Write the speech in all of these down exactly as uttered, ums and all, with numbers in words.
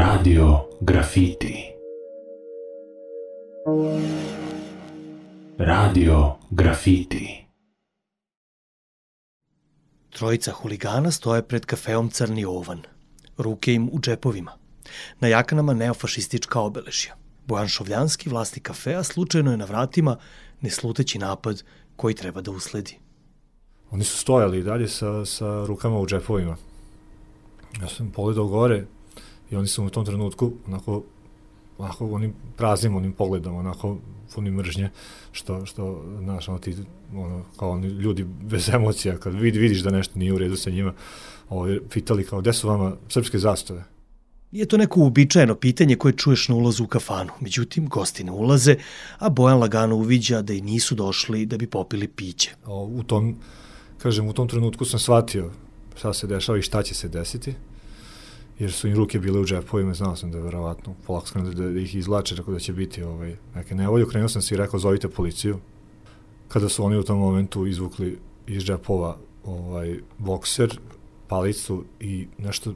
Radio Grafiti. Radio Grafiti. Trojica huligana stoje pred kafeom Crni ovan. Ruke im u džepovima. Na jaknama neofašistička obeležja. Bojan Šovljanski, vlasnik kafea, slučajno je na vratima, ne sluteći napad koji treba da usledi. Oni su stojali dalje sa, sa rukama u džepovima. Ja sam pogledao gore i oni su u tom trenutku onako, onako onim praznim onim pogledom, onako puni mržnje, što, što znaš, ono, ti, ono, kao oni ljudi bez emocija, kad vid, vidiš da nešto nije u redu sa njima, ovo, pitali kao, gde su vama srpske zastave? Nije to neko uobičajeno pitanje koje čuješ na ulazu u kafanu. Međutim, gosti ne ulaze, a Bojan lagano uviđa da i nisu došli da bi popili piće. U tom, kažem, u tom trenutku sam shvatio šta se dešava i šta će se desiti, jer su im ruke bile u džepovima, znao sam da je verovatno polako skrenu da, da ih izlače, rekao da će biti ovaj, neke nevolje. Krenuo sam si i rekao, zovite policiju. Kada su oni u tom momentu izvukli iz džepova ovaj, bokser, palicu i nešto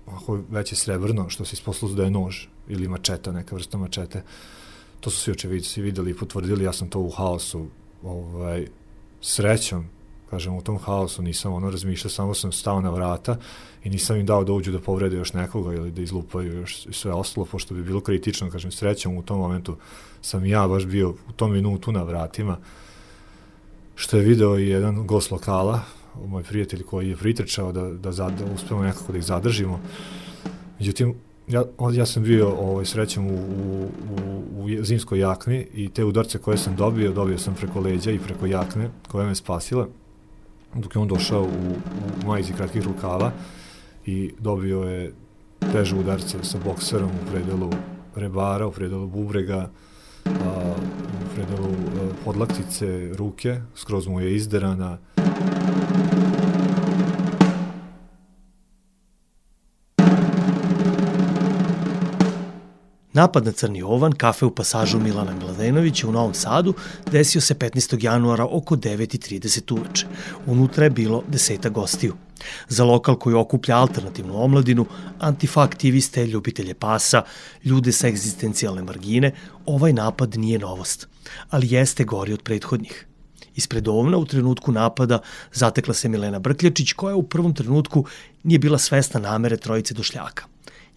ovako veće srebrno, što se isposlalo da je nož ili mačeta, neka vrsta mačete. To su svi očevidci videli i potvrdili, ja sam to u haosu ovaj, srećom, kažem, u tom haosu nisam ono razmišljao, samo sam stao na vrata i nisam im dao da uđu da povrede još nekoga ili da izlupaju još sve ostalo, pošto bi bilo kritično, kažem, srećom u tom momentu sam ja baš bio u tom minutu na vratima, što je video i jedan gost lokala, moj prijatelj koji je pritrčao da, da, da, da uspemo nekako da ih zadržimo. Međutim, ja, ja sam bio ovaj, srećom u, u, u, u zimskoj jakni i te udarce koje sam dobio, dobio sam preko leđa i preko jakne koja me spasila, dok je on došao u, u majici kratkih rukava i dobio je teže udarce sa bokserom u predelu rebara, u predelu bubrega, a, u predelu a, podlaktice, ruke, skroz mu je izderana. Napad na Crni ovan, kafe u pasažu Milana Mladenovića u Novom Sadu, desio se petnaestog januara oko devet i trideset uveče. Unutra je bilo deseta gostiju. Za lokal koji okuplja alternativnu omladinu, antifa aktiviste, ljubitelje pasa, ljude sa egzistencijalne margine, ovaj napad nije novost, ali jeste gori od prethodnih. Ispred ovna u trenutku napada zatekla se Milena Brkljačić, koja u prvom trenutku nije bila svesna namere trojice došljaka.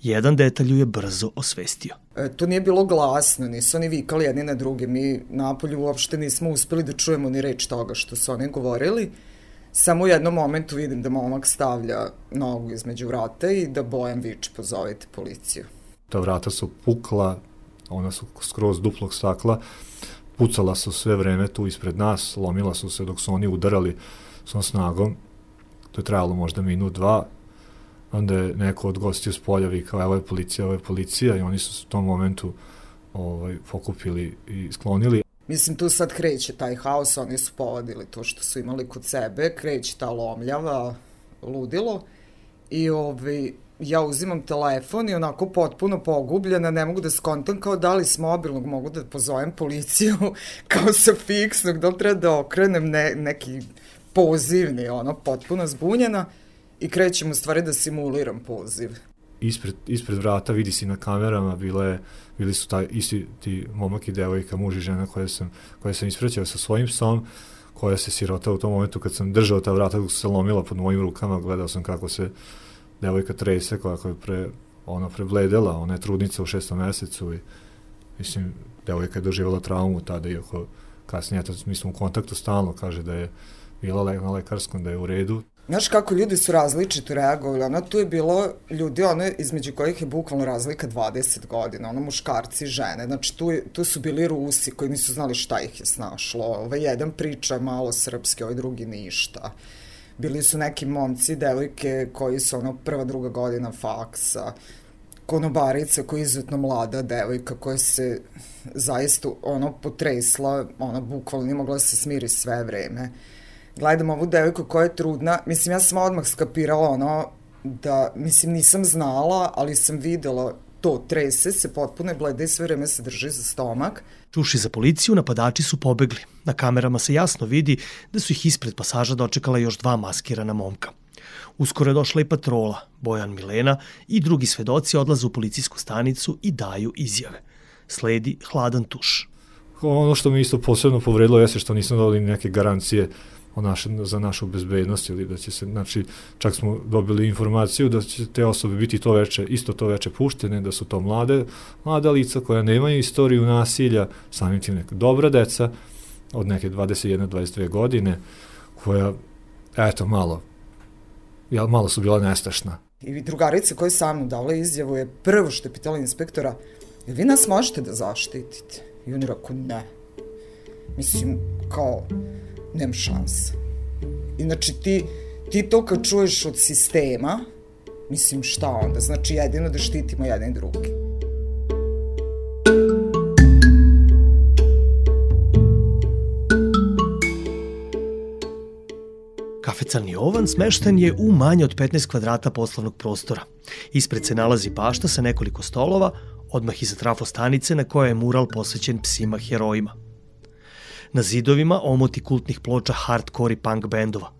Jedan detalj ju je brzo osvestio. E, to nije bilo glasno, nisu oni vikali jedni na druge. Mi napolju uopšte nismo uspeli da čujemo ni reč toga što su oni govorili. Samo u jednom momentu vidim da momak stavlja nogu između vrata i da Bojan viče, pozovite policiju. Ta vrata su pukla, ona su skroz duplog stakla, pucala su sve vreme tu ispred nas, lomila su se dok su oni udarali svom snagom. To je trajalo možda minut, dva. Onda je neko od gostiju s polja vikao, evo je policija, evo je policija, i oni su u tom momentu ovaj, pokupili i sklonili. Mislim, tu sad kreće taj haos, oni su povadili to što su imali kod sebe, kreće ta lomljava, ludilo, i ovaj, ja uzimam telefon i onako potpuno pogubljena, ne mogu da skontam kao da li s mobilnog mogu da pozovem policiju, kao sa fiksnog, da li treba da okrenem ne, neki pozivni, ono, potpuno zbunjena. I krećem u stvari da simuliram poziv. Ispred, ispred vrata vidi si na kamerama, bile, bili su taj, isti ti momak i devojka, muž i žena koje sam, koje sam ispraćao sa svojim psom, koja se sirota u tom momentu kad sam držao ta vrata, dok se lomila pod mojim rukama, gledao sam kako se devojka trese, kako je pre, ona prebledela, ona je trudnica u šestom mesecu i mislim, devojka je doživjela traumu tada, iako kasnije, to, mi smo u kontaktu stalno, kaže da je bila na lekarskom, da je u redu. Znaš kako ljudi su različito reagovali, ono tu je bilo ljudi, ono između kojih je bukvalno razlika dvadeset godina, ono muškarci i žene, znači tu, tu su bili Rusi koji nisu znali šta ih je snašlo, ovaj jedan priča malo srpski, ovaj drugi ništa. Bili su neki momci, devojke koji su ono prva, druga godina faksa, konobarica koja je izuzetno mlada devojka koja se zaista ono potresla, ona bukvalno nije mogla se smiri sve vreme. Gledam ovu devojku koja je trudna, mislim, ja sam odmah skapirala ono da, mislim, nisam znala, ali sam videla to, trese se, potpuno je bleda i sve vreme se drži za stomak. Čuši za policiju, napadači su pobegli. Na kamerama se jasno vidi da su ih ispred pasaža dočekala još dva maskirana momka. Uskoro je došla i patrola, Bojan, Milena i drugi svedoci odlaze u policijsku stanicu i daju izjave. Sledi hladan tuš. Ono što mi isto posebno povredilo jeste što nismo dali neke garancije o naše, za našu bezbednost ili da će se, znači, čak smo dobili informaciju da će te osobe biti to veče, isto to veče puštene, da su to mlade, mlada lica koja nemaju istoriju nasilja, samim tim neka dobra deca od neke dvadeset jedna do dvadeset dve godine, koja, eto, malo, ja, malo su bila nestašna. I drugarica koja je sa mnom dala izjavu je prvo što je pitala inspektora, jel vi nas možete da zaštitite? I on je rekao, ne. Mislim, kao, nema šanse. I znači ti, ti to kad čuješ od sistema, mislim šta onda? Znači jedino da štitimo jedan i drugi. Kafe Crni Jovan smešten je u manje od petnaest kvadrata poslovnog prostora. Ispred se nalazi bašta sa nekoliko stolova, odmah iza trafostanice na kojoj je mural posvećen psima herojima. Na zidovima omoti kultnih ploča hardcore i punk bendova.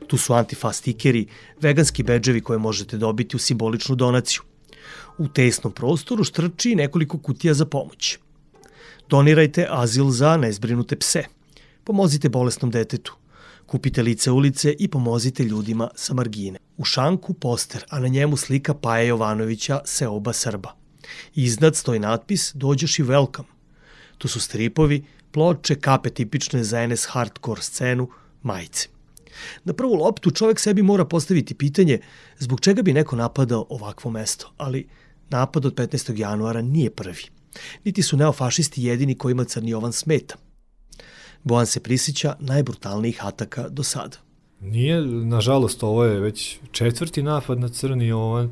Tu su antifa stikeri, veganski bedževi koje možete dobiti u simboličnu donaciju. U tesnom prostoru štrči nekoliko kutija za pomoć. Donirajte azil za nezbrinute pse. Pomozite bolesnom detetu. Kupite lice ulice i pomozite ljudima sa margine. U šanku poster, a na njemu slika Paje Jovanovića, Seoba Srba. Iznad stoji natpis Dođeš i welcome. Tu su stripovi, ploče, kape tipične za en es hardcore scenu, majice. Na prvu loptu čovjek sebi mora postaviti pitanje zbog čega bi neko napadao ovakvo mesto, ali napad od petnaestog januara nije prvi. Niti su neofašisti jedini kojima Crni Jovan smeta. Bojan se prisjeća najbrutalnijih ataka do sada. Nije, nažalost, ovo je već četvrti napad na Crni Jovan,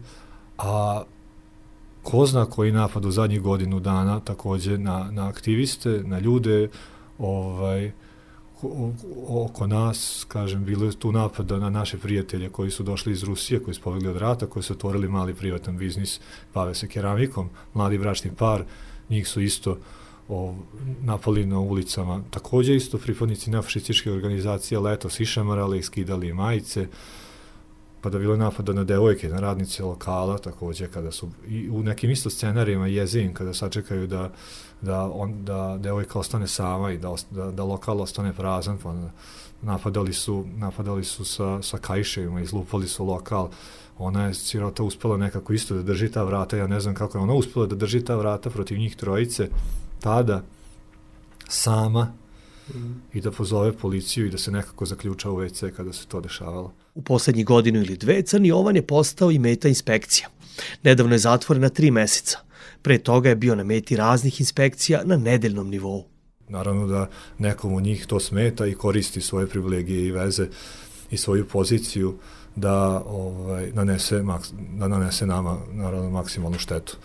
a ko zna koji napad u zadnjih godinu dana takođe na, na aktiviste, na ljude, ovaj, oko nas, kažem, bilo je tu napada na naše prijatelje koji su došli iz Rusije, koji su pobegli od rata, koji su otvorili mali privatan biznis, bave se keramikom, mladi bračni par, njih su isto o, napali na ulicama. Takođe isto pripadnici neofašističke organizacije letos išamarali i skidali majice, pa da bilo je napada na devojke, na radnice lokala, takođe kada su i u nekim isto scenarijima jezim, kada sačekaju da, da, on, da devojka ostane sama i da, da, da lokal ostane prazan, pa napadali su, napadali su sa, sa kaiševima, izlupali su lokal. Ona je sirota uspela nekako isto da drži ta vrata, ja ne znam kako je ona uspela da drži ta vrata protiv njih trojice, tada, sama, mm. i da pozove policiju i da se nekako zaključa u ve ce kada se to dešavalo. U poslednjih godinu ili dve Crni Jovan je postao i meta inspekcija. Nedavno je zatvoren na tri meseca. Pre toga je bio na meti raznih inspekcija na nedeljnom nivou. Naravno da nekom od njih to smeta i koristi svoje privilegije i veze i svoju poziciju da ovaj, nanese, da nanese nama naravno maksimalnu štetu.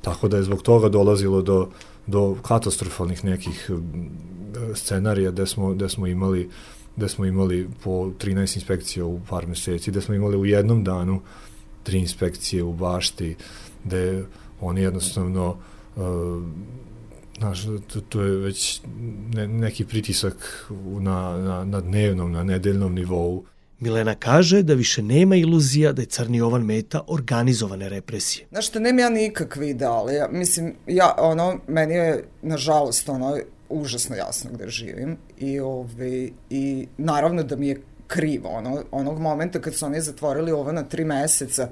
Tako da je zbog toga dolazilo do, do katastrofalnih nekih scenarija gde smo, gde smo imali gde smo imali po trinaest inspekcija u par meseci, gde smo imali u jednom danu tri inspekcije u bašti, gde oni jednostavno, uh, znaš, to, to je već ne, neki pritisak na, na, na dnevnom, na nedeljnom nivou. Milena kaže da više nema iluzija da je Crni Jovan meta organizovane represije. Znaš što, nema ja nikakve ideale. Ja, mislim, ja, ono, meni je, nažalost, ono, užasno jasno gde živim i, ove, i naravno da mi je krivo. Ono, onog momenta kad su oni zatvorili ovo na tri meseca,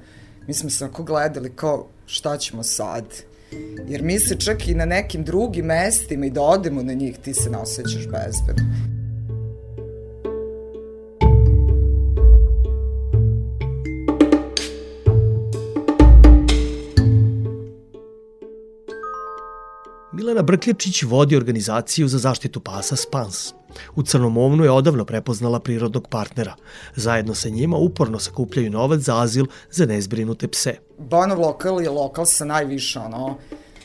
mi smo se ako gledali kao šta ćemo sad. Jer mi se čak i na nekim drugim mestima i da odemo na njih, ti se ne osjećaš bezbedno. Milena Brkljačić vodi organizaciju za zaštitu pasa Spans. U Crnom Ovnu je odavno prepoznala prirodnog partnera. Zajedno sa njima uporno sakupljaju novac za azil za nezbrinute pse. Banov lokal je lokal sa najviše ono,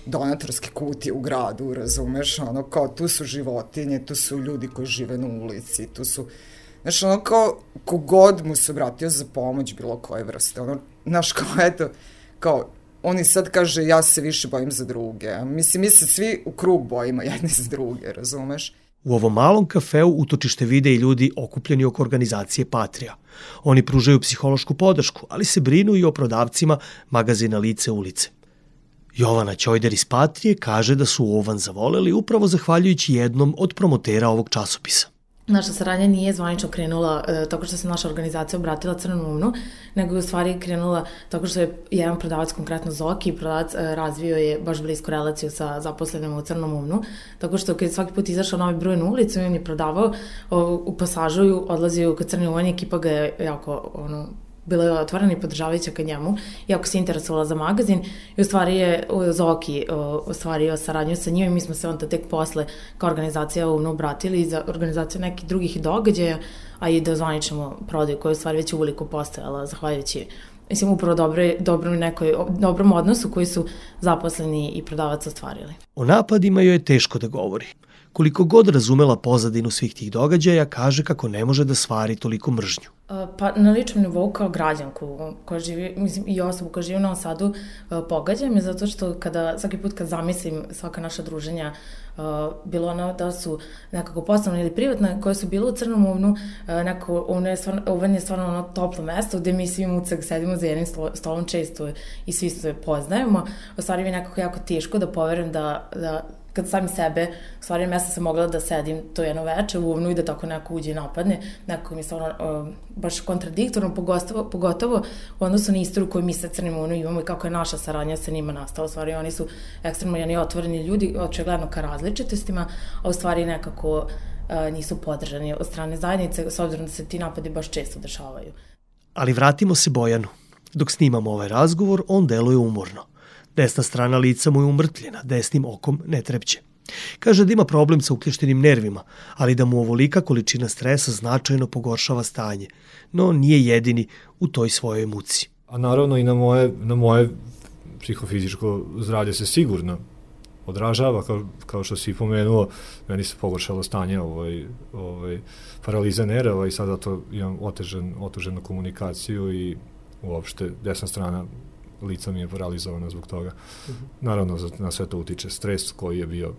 donatorske kutije u gradu, razumeš? Ono, kao, tu su životinje, tu su ljudi koji žive na ulici, tu su... Znaš, ono kao, kogod mu se obratio za pomoć bilo koje vrste. Ono, znaš, kao, eto, kao, oni sad kaže, ja se više bojim za druge. Mislim, mi se svi u krug bojimo jedni za druge, razumeš? U ovom malom kafeu utočište vide i ljudi okupljeni oko organizacije Patria. Oni pružaju psihološku podršku, ali se brinu i o prodavcima magazina Lice ulice. Jovana Ćojder iz Patrije kaže da su Ovan zavoleli upravo zahvaljujući jednom od promotera ovog časopisa. Naša saradnja nije zvanično krenula e, tako što se naša organizacija obratila Crnom Ovnu, nego je u stvari krenula tako što je jedan prodavac, konkretno Zoki, prodavac e, razvio je baš blisko relaciju sa zaposlenima u Crnom Ovnu, tako što kad je svaki put izašao novi broj na ulicu i on je prodavao o, u pasažu, odlazio kod Crni Ovan, ekipa ga je jako ono, bila je otvorena i podržavajuća ka njemu, iako se interesovala za magazin i u stvari je Zoki ostvario saradnju sa njim i mi smo se onda tek posle kao organizacija Ovno obratili za organizaciju nekih drugih događaja, a i da ozvaničimo prodaju koja je u stvari već uveliko postojala, zahvaljujući mislim upravo dobro, dobrom, nekoj, dobrom odnosu koji su zaposleni i prodavac ostvarili. O napadima joj je teško da govori. Koliko god razumela pozadinu svih tih događaja, kaže kako ne može da stvari toliko mržnju. Pa na ličnom nivou kao građanku koja živi, mislim i osobu koja živi u Novom Sadu, pogađa me zato što kada, svaki put kad zamislim svaka naša druženja, bilo ono da su nekako poslovno ili privatna, koje su bile u Crnom Ovnu, nekako ono je stvarno, Ovan je stvarno ono toplo mesto gde mi svi mucak sedimo za jednim stolom često i svi se poznajemo. U stvari mi je nekako jako teško da poverujem da, da kad sami sebe, u stvari mesta sam mogla da sedim to jedno veče u Ovnu i da tako neko uđe i napadne, nekako mi je stvarno uh, baš kontradiktorno, pogotovo, pogotovo u odnosu na istoriju koju mi sa Crnim Ovnom imamo i kako je naša saradnja sa njima nastala. U stvari oni su ekstremno jedni otvoreni ljudi, očigledno ka različitostima, a u stvari nekako uh, nisu podržani od strane zajednice, s obzirom da se ti napadi baš često dešavaju. Ali vratimo se Bojanu. Dok snimamo ovaj razgovor, on deluje umorno. Desna strana lica mu je umrtljena, desnim okom ne trepće. Kaže da ima problem sa ukleštenim nervima, ali da mu ovolika količina stresa značajno pogoršava stanje, no nije jedini u toj svojoj muci. A naravno i na moje, na moje psihofizičko zdravlje se sigurno odražava, kao, kao što si pomenuo, meni se pogoršalo stanje ovaj, ovaj, paraliza nerava i sada to imam otežen, oteženu komunikaciju i uopšte desna strana lica mi je paralizovana zbog toga. Uh-huh. Naravno, na sve to utiče stres koji je bio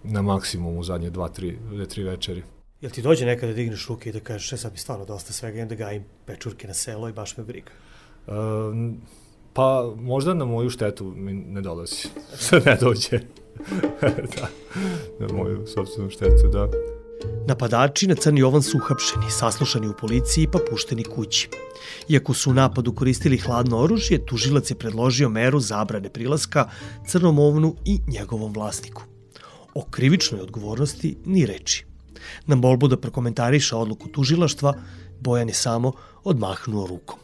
na maksimumu u zadnje dva, tri, tri večeri. Jel ti dođe nekada da digneš ruke i da kažeš e sad mi stvarno dosta svega, i da gajim pečurke na selo i baš me briga? Um, pa možda na moju štetu mi ne dolazi. ne dođe. da, na moju sopstvenu štetu, da. Napadači na Crni Ovan su uhapšeni, saslušani u policiji pa pušteni kući. Iako su u napadu koristili hladno oružje, tužilac je predložio meru zabrane prilaska Crnom Ovnu i njegovom vlasniku. O krivičnoj odgovornosti ni reči. Na molbu da prokomentariše odluku tužilaštva, Bojan je samo odmahnuo rukom.